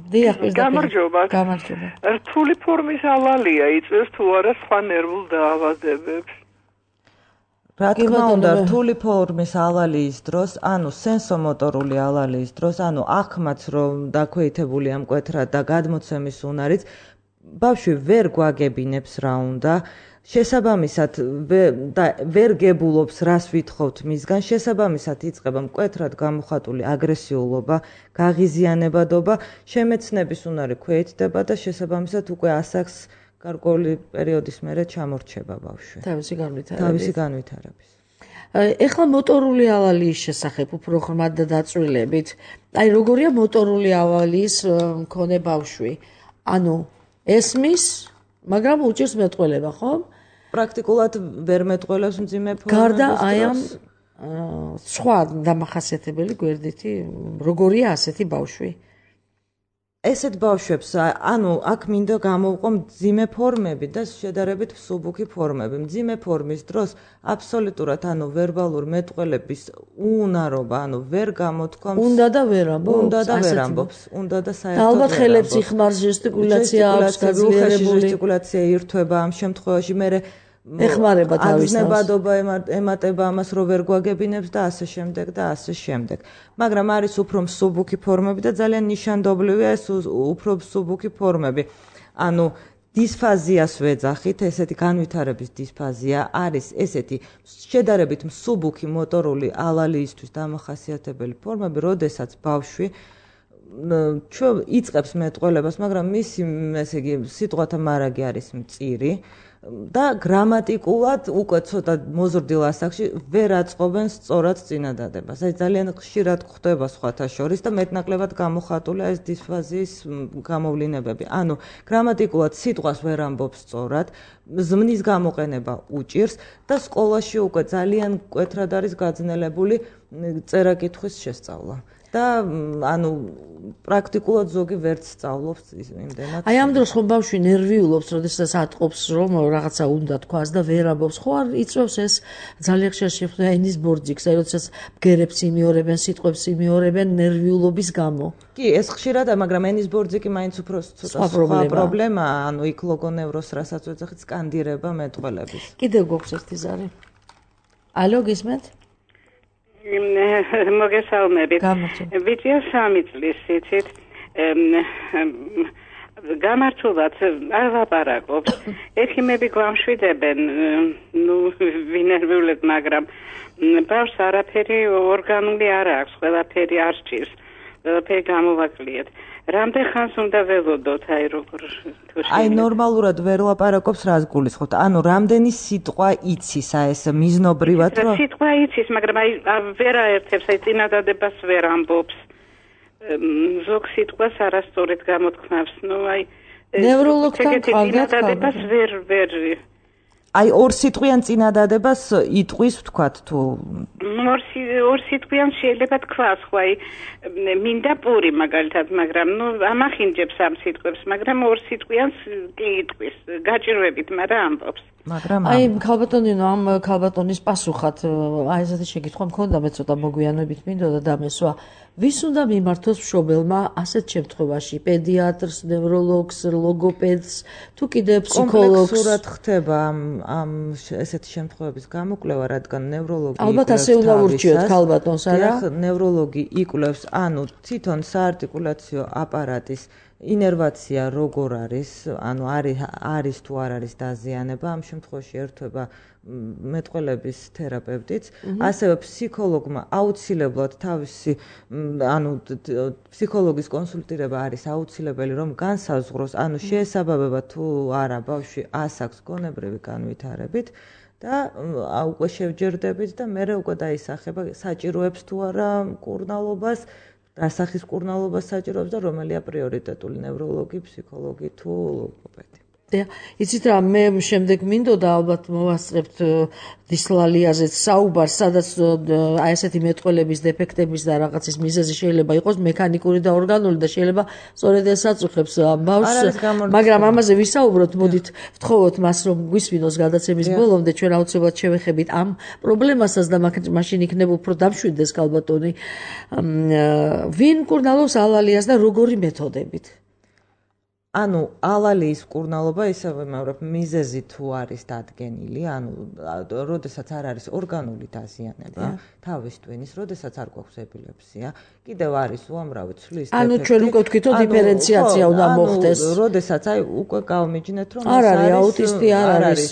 გამარჯობა. გამარჯობა. რთული ფორმის ალალია იწვევს თუ არა სხვა ნერვულ დაავადებებს? რა თქმა უნდა, რთული ფორმის ალალიის დროს, ანუ სენსომოტორული ალალიის დროს, ანუ აღქმაც რომ დაქვეითებულია მკვეთრად და გადმოცემის უნარიც, ბავშვი ვერ გვაგებინებს რა უნდა. შესაბამისად და ვერ გებულობს რას ვითხოვთ მისგან, შესაბამისად იწყება მკვეთრად გამოხატული აგრესიულობა, გაღიზიანებადობა, შემეცნების უნარი ქვეითდება და შესაბამისად უკვე ასაკს გარკვეული პერიოდის მერე ჩამორჩება ბავშვი. თავისი განვითარების. თავისი განვითარების. ეხლა მოტორული ალალიის შესახებ უფრო ხმად და დაწვრილებით. აი როგორია მოტორული ალალიის მქონე ბავშვი? ანუ ესმის, მაგრამ უჭირს მეტყველება, ხო? პრაქტიკულად ვერ მეტყველებს მძიმე ფორმების. გარდა აი ამ სხვა დამახასიათებელი გვერდითი, როგორია ასეთი ბავშვი? ესეთ ბავშვებს, ანუ აქ მინდა გამოვყო მძიმე ფორმები და შედარებით მსუბუქი ფორმები. მძიმე ფორმის დროს აბსოლუტურად, ანუ ვერბალურ მეტყველების უნარობა, ანუ ვერ გამოთქვამს. უნდა და ვერ ამბობს. უნდა და ვერ ამბობს. უნდა და საერთოდ. ალბათ ხელებს იხმარს, ჟესტიკულაცია აქვს გაძლიერებული. ჟესტიკულაცია ირთვება ამ შემთხვევაში, მე ეხმარება თავის თავს. აგზნებადობა ემატება ამას, რომ ვერ გვაგებინებს და ასე შემდეგ და ასე შემდეგ. მაგრამ არის უფრო მსუბუქი ფორმები და ძალიან ნიშანდობლივია ეს უფრო მსუბუქი ფორმები. ანუ დისფაზიას ვეძახით, ესეთი განვითარების დისფაზია არის ესეთი შედარებით მსუბუქი მოტორული ალალიისთვის დამახასიათებელი ფორმები, როდესაც ბავშვი ჩვენ იწყებს მეტყველებას, მაგრამ მისი ესე იგი სიტყვათა მარაგი არის მწირი. და გრამატიკულად უკვე ცოტა მოზრდილ ასაკში ვერ აწყობენ სწორად წინადადებას. აი ძალიან ხშირად გვხდება სხვათა შორის და მეტნაკლებად გამოხატულია ეს დისფაზიის გამოვლინებები. ანუ გრამატიკულად სიტყვას ვერ ამბობს სწორად, ზმნის გამოყენება უჭირს და სკოლაში უკვე ძალიან მკვეთრად არის გაძნელებული წერა-კითხვის შესწავლა. და ანუ პრაქტიკულად ზოგი ვერც სწავლობს იმდენად. აი ამ დროს ხომ ბავშვი ნერვიულობს, როდესაც ატყობს რომ რაღაცა უნდა თქვას და ვერ ამბობს. ხო არ იწვევს ეს ძალიან ხშირად შეხვდება ენის ბორძიქს, აი როდესაც ბგერებს იმეორებენ, სიტყვებს იმეორებენ ნერვიულობის გამო. კი, ეს ხშირადაა, მაგრამ ენის ბორძიკი მაინც უფრო ცოტა სხვა პრობლემაა, ანუ იქ ლოგონევროს რასაც ვეძახით, სკანდირება მეტყველების. კიდევ გვაქვს ერთი ზარი. ალო, გისმენთ? მოგესალმებით. ვიწია სამი წლის იცით. გამართულად არ ვაპარაკობ. ექიმები გვამშვიდებენ, ნუ ვინერვიულებ, მაგრამ ბავშვს არაფერი ორგანული არ აქვს, ყველაფერი არ სჭირს. ყველაფერი გამოვაკლიეთ. რამდენ ხანს უნდა ველოდოთ, აი როგორ თუ აი ნორმალურად ვერ ლაპარაკობს რას გულისხმობთ? ანუ რამდენი სიტყვა იცის აი ეს მიზნობრივად რომ სიტყვა იცის, მაგრამ აი ვერ აერთებს, აი წინადადებას ვერ ამბობს. ზოგ სიტყვას არასწორად გამოთქმავს. ნუ აი ნევროლოგთან წინადადებას ვერ ვერ აი ორ სიტყვიან წინადადებას იტყვის ვთქვათ თუ ორ ორ სიტყვიან შეიძლება თქვას, ხო აი მინდა პური მაგალითად, მაგრამ ნუ ამახინჯებს ამ სიტყვებს, მაგრამ ორ სიტყვიანს კი იტყვის, გაჭირვებით, მაგრამ ამბობს. მაგრამ აი ქალბატონინო ამ ქალბატონის პასუხად აი ესეთი შეკითხვა მქონდა, მე ცოტა მოგვიანებით მინდოდა დამესვა. ვის უნდა მიმართოს მშობელმა ასეთ შემთხვევაში? პედიატრს, ნევროლოგს, ლოგოპედს, თუ კიდე ფსიქოლოგს? კომპლექსურად ხდება ამ ამ ესეთი შემთხვევების გამოკვლევა, რადგან ნევროლოგი ალბათ ასე უნდა ურჩიოთ ქალბატონს, არა? ნევროლოგი იკვლევს, ანუ თვითონ საარტიკულაციო აპარატის ინერვაცია როგორ არის, ანუ არის არის თუ არ არის დაზიანება, ამ შემთხვევაში ერთვება მეტყველების თერაპევტიც, ასევე ფსიქოლოგმა აუცილებლად თავისი ანუ ფსიქოლოგის კონსულტირება არის აუცილებელი, რომ განსაზღვროს, ანუ შეესაბამება თუ არა ბავშვი ასაკს გონებრივი განვითარებით და უკვე შევჯერდებით და მე უკვე დაისახება საჭიროებს თუ არა მკურნალობას, რა სახის მკურნალობას საჭიროებს და რომელია პრიორიტეტული ნევროლოგი, ფსიქოლოგი თუ ლოგოპედი. იცით რა, მე შემდეგ მინდოდა ალბათ მოვასწრებთ დისლალიაზეც საუბარს, სადაც აი ესეთი მეტყველების დეფექტების და რაღაცის მიზეზი შეიძლება იყოს მექანიკური და ორგანული და შეიძლება სწორედ ეს აწუხებს ბავშვს, მაგრამ ამაზე ვისაუბროთ, მოდით ვთხოვოთ მას რომ გვისმინოს გადაცემის ბოლომდე, ჩვენ აუცილებლად შევეხებით ამ პრობლემასაც და მაშინ იქნება უფრო დამშვიდეს ქალბატონი. ვინ მკურნალობს ალალიას და როგორი მეთოდებით? ანუ ალალიის მკურნალობა ისე ვიმეორებ, მიზეზი თუ არის დადგენილი, ანუ როდესაც არ არის ორგანული დაზიანება, თავის ტვინის, როდესაც არ გვაქვს ეპილეფსია, კიდევ არის უამრავი ცვლის დეფექტი. ანუ ჩვენ უკვე ვთქვით, რომ დიფერენციაცია უნდა მოხდეს. როდესაც აი უკვე გავმიჯნეთ, რომ არ არის აუტისტი, არ არის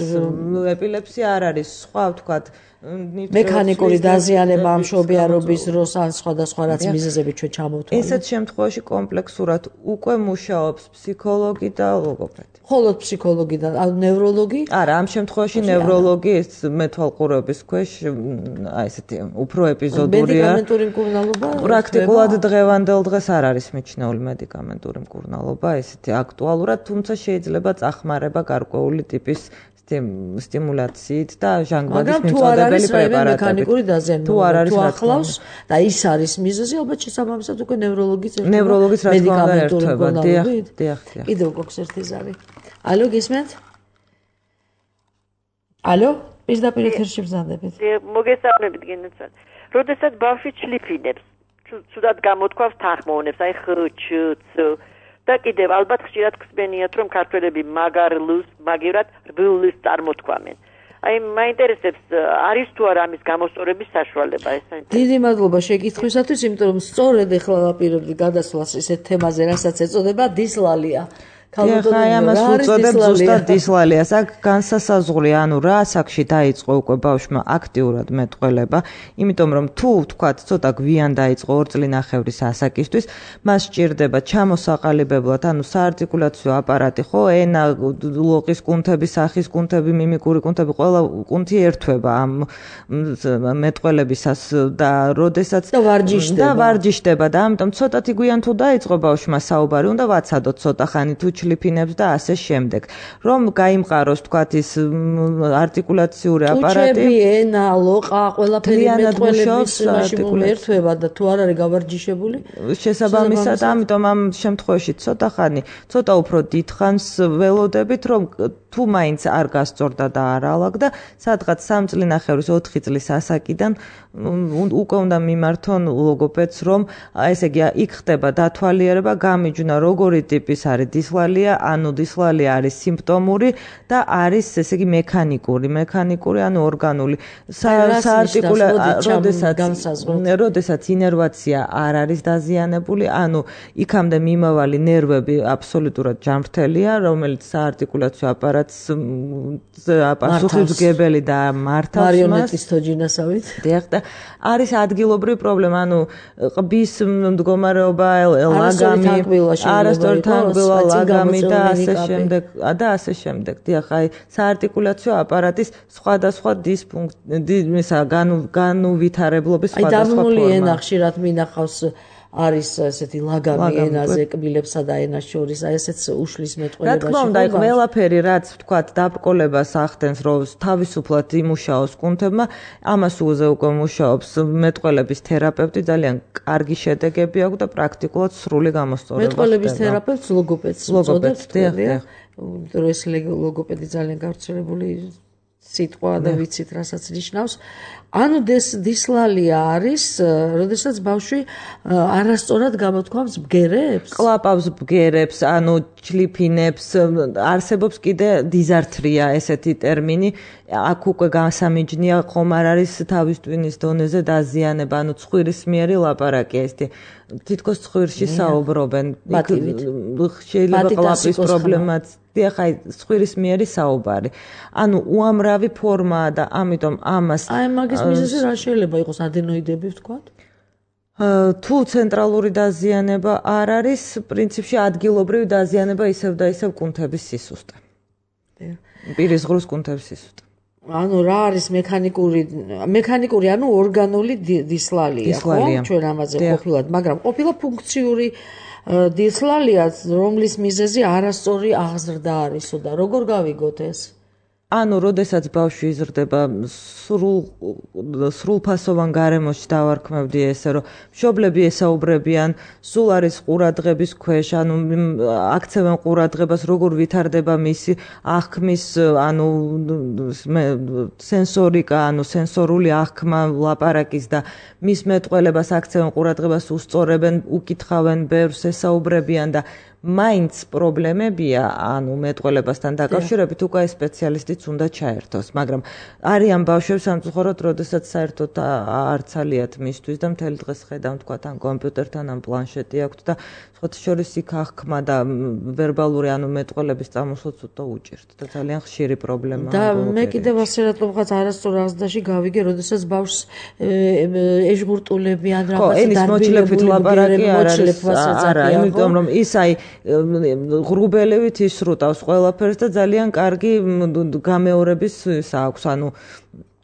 ეპილეფსია, არ არის სხვა ვთქვათ მექანიკური დაზიანება ამ მშობიარობის დროს ან სხვადასხვა რაც მიზეზები ჩვენ ჩამოვთვალეთ. ესეთ შემთხვევაში კომპლექსურად უკვე მუშაობს ფსიქოლოგი და ლოგოპედი. მხოლოდ ფსიქოლოგი და ნევროლოგი? არა, ამ შემთხვევაში ნევროლოგი ეს მეთვალყურების ქვეშ აი ესეთი უფრო ეპიზოდურია. მედიკამენტური მკურნალობა? პრაქტიკულად დღევანდელ დღეს არ არის მიჩნეული მედიკამენტური მკურნალობა, ესეთი აქტუალურად, თუმცა შეიძლება წახმარება გარკვეული ტიპის სტიმულაციით და ჟანგბადის მიმწოდებელი პრეპარატებით. მექანიკური დაზიანება თუ არ არის ახლავს და ის არის მიზეზი, ალბათ შესაბამისად უკვე ნევროლოგიც ერთობა. ნევროლოგიც რა თქმა უნდა ერთობა. დიახ, დიახ, დიახ. კიდევ გვაქვს ერთი ზარი. ალო, გისმენთ? ალო, პირდაპირ ეთერში ვზადებით. მოგესალმებით, გენაცვალ. როდესაც ბავშვი ჩლიფინებს, ცუდად გამოთქვავს თანხმოვნებს, აი ხ, ჩ, ც და კიდევ ალბათ ხშირად ხსენიათ, რომ ქართველები მაგარლუს, მაგივრად რბილს წარმოთქვამენ. აი მაინტერესებს, არის თუ არა ამის გამოსწორების საშუალება ეს? დიდი მადლობა შეკითხვისათვის, იმიტომ რომ სწორედ ეხლა ვაპირებდი გადასვლას ესეთ თემაზე, რასაც ეწოდება დისლალია. ხა ამას უწოდებ ზუსტად დისლალიას. აქ განსასაზღვრია, ანუ რა ასაკში დაიწყო უკვე ბავშვმა აქტიურად მეტყველება, იმიტომ რომ თუ ვთქვათ, ცოტა გვიან დაიწყო ორ წლინახევრის ასაკისთვის, მას სჭირდება ჩამოსაყალიბებლად, ანუ საარტიკულაციო აპარატი, ხო, ენა, ლოყის კუნთები, სახის კუნთები, მიმიკური კუნთები, ყველა კუნთი ერთვება ამ მეტყველებისას და როდესაც და ვარჯიშდება. და ვარჯიშდება და ამიტომ ცოტათი გვიან თუ დაიწყო ბავშვმა საუბარი, უნდა ვაცადოთ ცოტა ხანი თუ ჩლიფინებს და ასე შემდეგ. რომ გაიმყაროს თქვათ ის არტიკულაციური აპარატი. უჩები, ენა, ლოყა, ყველაფერი მეტყველების ერთვება და თუ არ არის გავარჯიშებული, შესაბამისად, ამიტომ ამ შემთხვევაში ცოტა ხანი, ცოტა უფრო დიდხანს ველოდებით, რომ თუ მაინც არ გასწორდა და არ ალაგდა, სადღაც სამ წლინახევრის ოთხი წლის ასაკიდან უკვე უნდა მიმართონ ლოგოპედს, რომ ესე იგი იქ ხდება დათვალიერება, გამიჯვნა როგორი ტიპის არის დისლალია, ანუ დისლალია არის სიმპტომური და არის ესე იგი მექანიკური, მექანიკური, ანუ ორგანული. საარტიკულაციო, როდესაც ინერვაცია არ არის დაზიანებული, ანუ იქამდე მიმავალი ნერვები აბსოლუტურად ჯანმრთელია, რომელიც საარტიკულაციო აპარატი რაც პასუხისმგებელი და მართავს მას მარიონეტის თოჯინასავით. დიახ და არის ადგილობრივი პრობლემა, ანუ ყბის მდგომარეობა, ლაგამი, არასწორი თანკბილა, ლაგამი და ასე შემდეგ და ასე შემდეგ. დიახ, აი საარტიკულაციო აპარატის სხვადასხვა დისფუნქცია, განუვითარებლობის სხვადასხვა ფორმა. აი დამული ენა ხშირად მინახავს არის ესეთი ლაგამი ენაზე კბილებსა და ენას შორის, აი ესეც უშლის მეტყველებაში. რა თქმა უნდა, აი ყველაფერი რაც ვთქვათ დაბრკოლებას ახდენს, რომ თავისუფლად იმუშაოს კუნთებმა, ამას უზე უკვე მუშაობს მეტყველების თერაპევტი, ძალიან კარგი შედეგები აქვს და პრაქტიკულად სრული გამოსწორება. მეტყველების თერაპევტს ლოგოპედს უწოდებთ, დიახ, იმიტომ რომ ეს ლოგოპედი ძალიან გავრცელებული სიტყვა და ვიცით რასაც ნიშნავს. ანუ დისლალია არის, როდესაც ბავშვი არასწორად გამოთქვამს ბგერებს? კლაპავს ბგერებს, ანუ ჩლიფინებს, არსებობს კიდე დიზართრია ესეთი ტერმინი, აქ უკვე გასამიჯნია ხომ არ არის თავის ტვინის დონეზე დაზიანება, ანუ ცხვირისმიერი ლაპარაკია ესეთი. თითქოს ცხვირში საუბრობენ. შეიძლება კლაპის პრობლემაც დიახ, აი ცხვირისმიერი საუბარი. ანუ უამრავი ფორმაა და ამიტომ ამას აი მაგის მიზეზი რა შეიძლება იყოს, ადენოიდები ვთქვათ? თუ ცენტრალური დაზიანება არ არის, პრინციპში ადგილობრივი დაზიანება ისევ და ისევ კუნთების სისუსტე. პირის ღრუს კუნთების სისუსტე. ანუ რა არის მექანიკური მექანიკური ანუ ორგანული დისლალია, ხო? ჩვენ ამაზე ყოფილად, მაგრამ ყოფილა ფუნქციური დისლალია, რომლის მიზეზი არასწორი აღზრდა არისო და როგორ გავიგოთ ეს? ანუ როდესაც ბავშვი იზრდება სრულ სრულფასოვან გარემოში დავარქმევდი ესე რომ მშობლები ესაუბრებიან სულ არის ყურადღების ქვეშ ანუ აქცევენ ყურადღებას როგორ ვითარდება მისი აღქმის ანუ სენსორიკა ანუ სენსორული აღქმა ლაპარაკის და მის მეტყველებას აქცევენ ყურადღებას უსწორებენ უკითხავენ ბევრს ესაუბრებიან და მაინც პრობლემებია, ანუ მეტყველებასთან დაკავშირებით უკვე სპეციალისტიც უნდა ჩაერთოს, მაგრამ არიან ბავშვებს სამწუხაროდ, როდესაც საერთოდ არც ალიათ მისთვის და მთელი დღეს ხედავთ, თქვათ, ან კომპიუტერთან, ან პლანშეტი აქვთ და სხვათა შორის იქ აღქმა და ვერბალური, ანუ მეტყველების წამოსვლაც უტო უჭირთ და ძალიან ხშირი პრობლემაა. და მე კიდევ ასე რატომღაც არასწორ აღზრდაში გავიგე, როდესაც ბავშვს ეჟღურტულები ან რაღაც დარბილებული ენის მოჩლებით ლაპარაკი არ არის, არა, იმიტომ რომ ის აი ღრუბელივით ისრუტავს ყველაფერს და ძალიან კარგი გამეორების აქვს, ანუ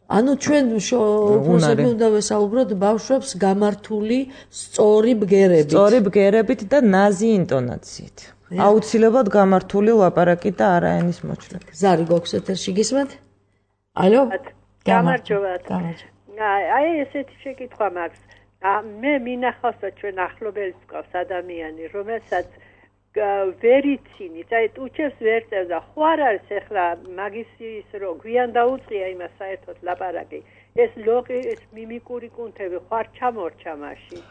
ანუ ჩვენ უფროსები უნდა ვესაუბროთ ბავშვებს გამართული სწორი ბგერებით. სწორი ბგერებით და ნაზი ინტონაციით. აუცილებლად გამართული ლაპარაკი და არა ენის მოჩლები. ზარი გვაქვს ეთერში გისმენთ? ალო? გამარჯობათ. აი ესეთი შეკითხვა მაქვს. მე მინახავს და ჩვენ ახლობელს გვყავს ადამიანი, რომელსაც ვერ იცინით, აი უჩევს ვერ წევს და ხო არ არის ახლა მაგისის რო გვიან დაუწყია იმას საერთოდ ლაპარაკი ეს ლოგი ეს მიმიკური კუნთები ხო არ ჩამორჩა მაშინ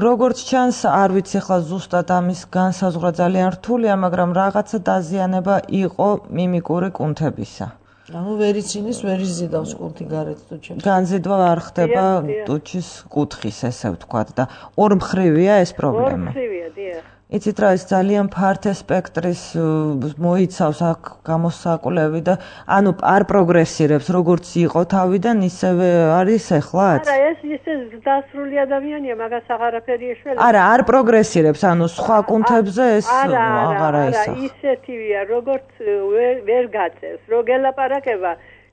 როგორც ჩანს არ ვიცი ახლა ზუსტად ამის განსაზღვრა ძალიან რთულია მაგრამ რაღაცა დაზიანება იყო მიმიკური კუნთებისა ანუ ვერ ცინის ვერ იზიდავს კუნთი გარეთ ტუჩებს განზიდვა არ ხდება ტუჩის კუთხის ესე ვთქვათ და ორმხრივია ეს პრობლემა ორმხრივია დიახ იცით რა ის ძალიან ფართე სპექტრის მოიცავს აქ გამოსაკვლევი და ანუ არ პროგრესირებს როგორც იყო თავიდან ისევე არის ეხლაც არა ეს ისე დასრული ადამიანია მაგას აღარაფერი ეშველება არა არ პროგრესირებს ანუ სხვა კუნთებზე ეს აღარა ისახ არა ისეთივია როგორც ვერ გაწევს რო გელაპარაკება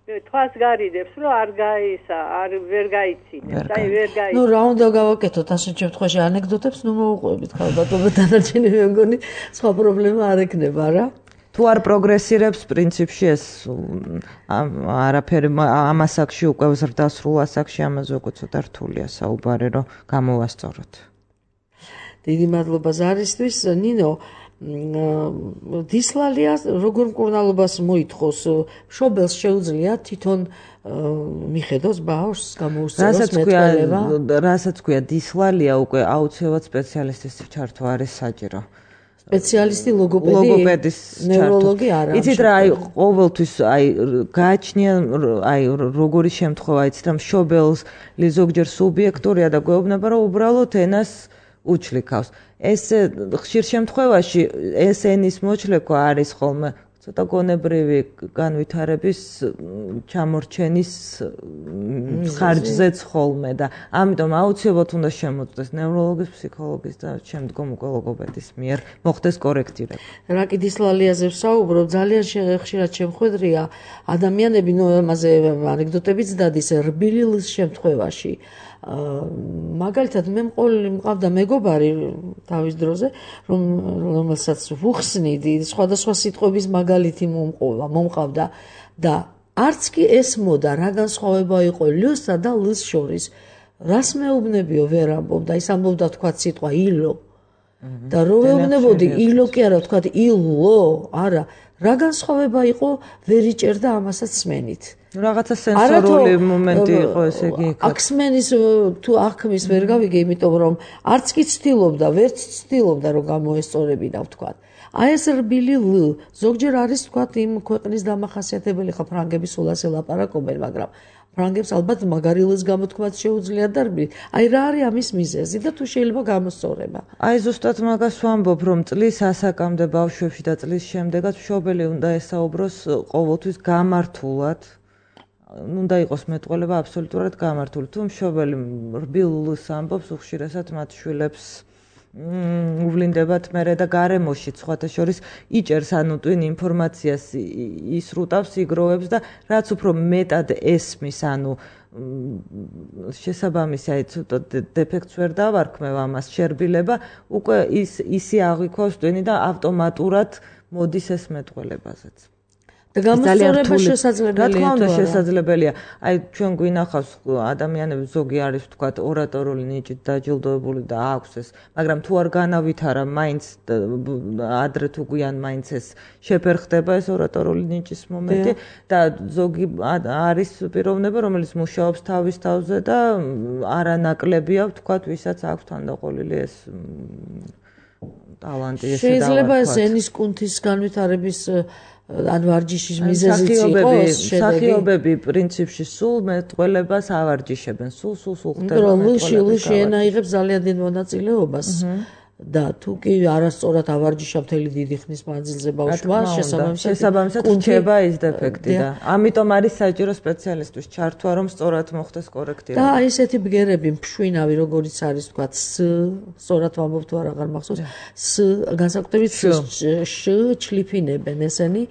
თვას გარიდებს რომ არ გაისა არ ვერ გაიცინებს აი ვერ გაიცინებს ნუ რა უნდა გავაკეთოთ ასეთ შემთხვევაში ანეკდოტებს ნუ მოუყვებით ხალბატონო დანარჩენი მე მგონი სხვა პრობლემა არ ექნება რა თუ არ პროგრესირებს პრინციპში ეს არაფერი ამ ასაკში უკვე ზრდასრულ ასაკში ამაზე უკვე ცოტა რთულია საუბარი რომ გამოვასწოროთ დიდი მადლობა ზარისთვის ნინო დისლალია როგორ მკურნალობას მოითხოვს მშობელს შეუძლია თვითონ მიხედოს ბავშვს გამოუსწოროს მეტყველება რასაც ქვია დისლალია უკვე აუცილებლად სპეციალისტის ჩართვა არის საჭირო სპეციალისტი ლოგოპედი ლოგოპედის ნევროლოგი არა იცით რა აი ყოველთვის აი გააჩნია აი როგორი შემთხვევა იცით რა მშობელს ზოგჯერ სუბიექტურია და გვეუბნება რომ უბრალოდ ენას უჩლიქავს ეს ხშირ შემთხვევაში ეს ენის მოჩლექვა არის ხოლმე ცოტა გონებრივი განვითარების ჩამორჩენის ხარჯზეც ხოლმე და ამიტომ აუცილებლად უნდა შემოწდეს ნევროლოგის, ფსიქოლოგის და შემდგომ უკვე ლოგოპედის მიერ მოხდეს კორექტირება. რა კიდის ლალიაზე ვსაუბრობ, ძალიან ხშირად შემხვედრია ადამიანები, ნუ ამაზე ანეკდოტებიც დადის რბილი ლის შემთხვევაში. მაგალითად მე მყოლი მყავდა მეგობარი თავის დროზე, რომ რომელსაც ვუხსნიდი, სხვადასხვა სიტყვების მაგალითი მომყოლა, მომყავდა და არც კი ესმოდა რა განსხვავება იყო ლსა და ლს შორის. რას მეუბნებიო ვერ ამბობდა, ის ამბობდა თქვა სიტყვა ილო. და რო ვეუბნებოდი ილო კი არა, თქვა ილო, არა, რა განსხვავება იყო ვერ იჭერდა ამასაც სმენით. რაღაცა სენსორული მომენტი იყო ესე იგი. აქ სმენის თუ აღქმის ვერ გავიგე, იმიტომ რომ არც კი ცდილობდა, ვერც ცდილობდა რომ გამოესწორებინა ვთქვა. აი ეს რბილი ლ ზოგჯერ არის თქვა იმ ქვეყნის დამახასიათებელი, ხა ფრანგები სულ ასე ლაპარაკობენ, მაგრამ ფრანგებს ალბათ მაგარი ლს გამოთქვაც შეუძლიათ და რბილი. აი რა არის ამის მიზეზი და თუ შეიძლება გამოსწორება. აი ზუსტად მაგას ვამბობ, რომ წლის ასაკამდე ბავშვებში და წლის შემდეგაც მშობელი უნდა ესაუბროს ყოველთვის გამართულად. უნდა იყოს მეტყველება აბსოლუტურად გამართული. თუ მშობელი რბილ ლს ამბობს, უხშირესად მათ შვილებს უვლინდებათ მერე და გარემოში სხვათა შორის იჭერს ანუ ტვინ ინფორმაციას ისრუტავს, იგროვებს და რაც უფრო მეტად ესმის, ანუ შესაბამისი აი ცოტა დეფექტს ვერ დავარქმევ ამას შერბილება, უკვე ის ისი აღვიქვავს ტვინი და ავტომატურად მოდის ეს მეტყველებაზეც. და გამოსწორება შესაძლებელია. რა თქმა უნდა შესაძლებელია. აი ჩვენ გვინახავს ადამიანები ზოგი არის ვთქვათ ორატორული ნიჭით დაჯილდოებული და აქვს ეს, მაგრამ თუ არ განავითარა მაინც ადრე თუ გვიან მაინც ეს შეფერხდება ეს ორატორული ნიჭის მომენტი და ზოგი არის პიროვნება, რომელიც მუშაობს თავის თავზე და არანაკლებია ვთქვათ, ვისაც აქვს თანდაყოლილი ეს ტალანტი ესე და შეიძლება ეს ენის კუნთის განვითარების ან ვარჯიშის მიზეზიც იყოს შედეგი. სახიობები პრინციპში სულ მეტყველებას ავარჯიშებენ, სულ სულ სულ ხდება მეტყველება. ლში ენა იღებს ძალიან დიდ მონაწილეობას და თუ კი არასწორად ავარჯიშა მთელი დიდი ხნის მანძილზე ბავშვმა, შესაბამისად რჩება ის დეფექტი და ამიტომ არის საჭირო სპეციალისტის ჩართვა, რომ სწორად მოხდეს კორექტირება. და აი ესეთი ბგერები მშვინავი, როგორიც არის თქვათ ს, სწორად ვამბობ თუ არ აღარ მახსოვს, ს განსაკუთრებით შ ჩლიფინებენ ესენი.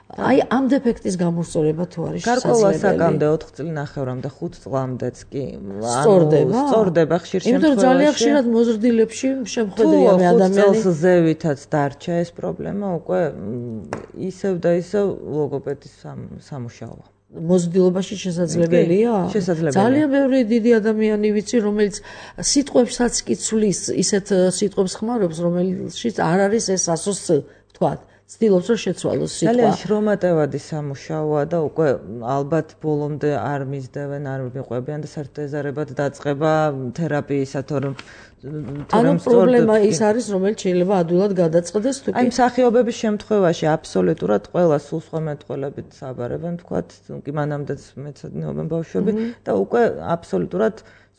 აი ამ დეფექტის გამოსწორება თუ არის გარკვეულ ასაკამდე ოთხ წლინახევრამდე ხუთ წლამდეც კი სწორდება სწორდება ხშირ შემთხვევაში. იმიტომ რომ ძალიან ხშირად მოზრდილებში შემხედრია მე ადამიანი. თუ ზევითაც დარჩა ეს პრობლემა, უკვე ისევ და ისევ ლოგოპედის სამუშაოა. მოზრდილობაში შესაძლებელია? შესაძლებელია. ძალიან ბევრი დიდი ადამიანი ვიცი, რომელიც სიტყვებსაც კი ცვლის, ისეთ სიტყვებს ხმარობს, რომელშიც არ არის ეს ასოს ვთქვათ. ცდილობს რომ შეცვალოს სიტყვა. ძალიან შრომატევადი სამუშაოა და უკვე ალბათ ბოლომდე არ მისდევენ, არ მიყვებიან და საერთოდ ეზარებათ დაწყება თერაპიისა, თორემ ანუ პრობლემა ის არის, რომელიც შეიძლება ადვილად გადაწყდეს თუ კი. აი მსახიობების შემთხვევაში აბსოლუტურად ყველა სულ სხვა მეტყველებით საბარებენ, თქვათ, კი მანამდეც მეცადინეობენ ბავშვები და უკვე აბსოლუტურად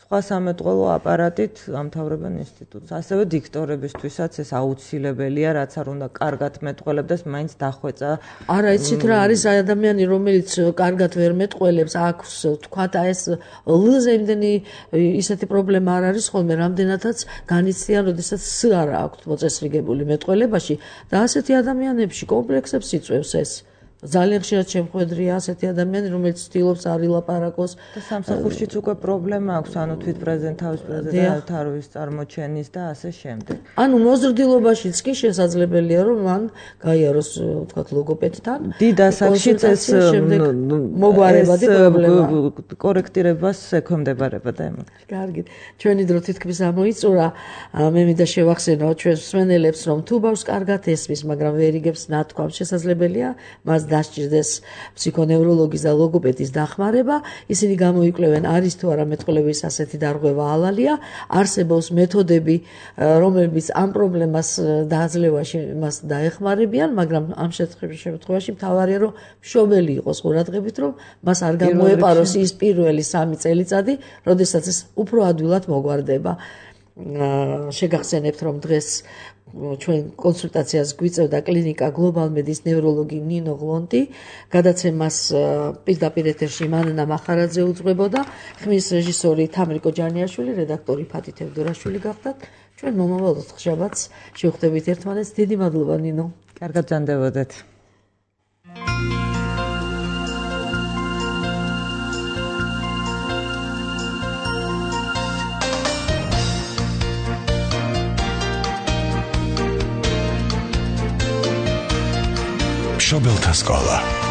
სხვა სამეტყველო აპარატით ამთავრებენ ინსტიტუტს. ასევე დიქტორებისთვისაც ეს აუცილებელია, რაც არ უნდა კარგად მეტყველებდეს, მაინც დახვეწა. არა, იცით რა არის ადამიანი, რომელიც კარგად ვერ მეტყველებს, აქვს თქვათ ეს ლ-ზე იმდენი ისეთი პრობლემა არ არის ხოლმე, რამდენადაც განიცდიან, როდესაც ს არ აქვს მოწესრიგებული მეტყველებაში და ასეთი ადამიანებში კომპლექსებს იწვევს ეს. ძალიან ხშირად შემხვედრია ასეთი ადამიანი, რომელიც ცდილობს არ ილაპარაკოს და სამსახურშიც უკვე პრობლემა აქვს, ანუ თვით პრეზენტავის პრეზენტავის თავის წარმოჩენის და ასე შემდეგ. ანუ მოზრდილობაშიც კი შესაძლებელია, რომ მან გაიაროს, ვთქვათ, ლოგოპედთან. დიდ ასაკშიც ეს მოგვარებადი პრობლემა. კორექტირებას ექვემდებარება და ემოქ. კარგი. ჩვენი დრო თითქმის ამოიწურა. მე მინდა შევახსენო ჩვენს მსმენელებს, რომ თუ ბავშვს კარგად ესმის, მაგრამ ვერ იგებს ნათქვამს, შესაძლებელია მას დასჭირდეს ფსიქონევროლოგის და ლოგოპედის დახმარება. ისინი გამოიკვლევენ, არის თუ არა მეტყველების ასეთი დარღვევა ალალია. არსებობს მეთოდები, რომლებიც ამ პრობლემას დაძლევაში მას დაეხმარებიან, მაგრამ ამ შემთხვევაში მთავარია, რომ მშობელი იყოს ყურადღებით, რომ მას არ გამოეპაროს ის პირველი სამი წელიწადი, როდესაც ეს უფრო ადვილად მოგვარდება. შეგახსენებთ, რომ დღეს ჩვენ კონსულტაციას გვიწევდა კლინიკა Global Medis ნევროლოგი ნინო გლონტი, გადაცემას პირდაპირ ეთერში მანანა მახარაძე უძღვებოდა, ხმის რეჟისორი თამრიკო ჯანიაშვილი, რედაქტორი ფათი თევდორაშვილი გახდათ. ჩვენ მომავალ ოთხშაბათს შევხვდებით ერთმანეთს. დიდი მადლობა ნინო. კარგად ბრძანდებოდეთ. მშობელთა სკოლა